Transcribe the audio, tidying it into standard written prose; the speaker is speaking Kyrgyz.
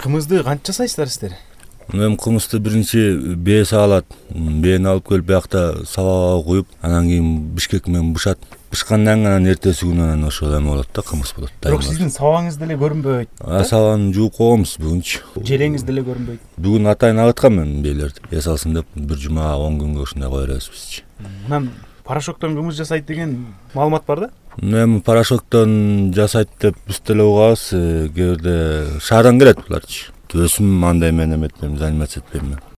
Кымызды канча жасайсыздар сиздер? Эми кымызды биринчи бээ саалат. Бээни алып келип биякта сабага куюп, анан кийин бишкек менен бышат. Бышкандан кийин анан эртеси күнү анан ошо эме болот да, кымыз болот. Бирок сиздин сабагыңыз деле көрүнбөйт. Сабагын жууп койгонбуз бүгүнчү. Желеңиз деле көрүнбөйт. Бүгүн атайын агыткам мен бээлерди. Эс алсын деп бир жума 10 күнгө ушундай кое беребиз бизчи. Анан порошоктон кымыз жасайт деген маалымат бар да? Эми порошоктон жасайт деп биз деле угабыз. Кээ бирде шаардан келет буларчы. Өзүм андай менен эметпейм, заниматься этпейм мен.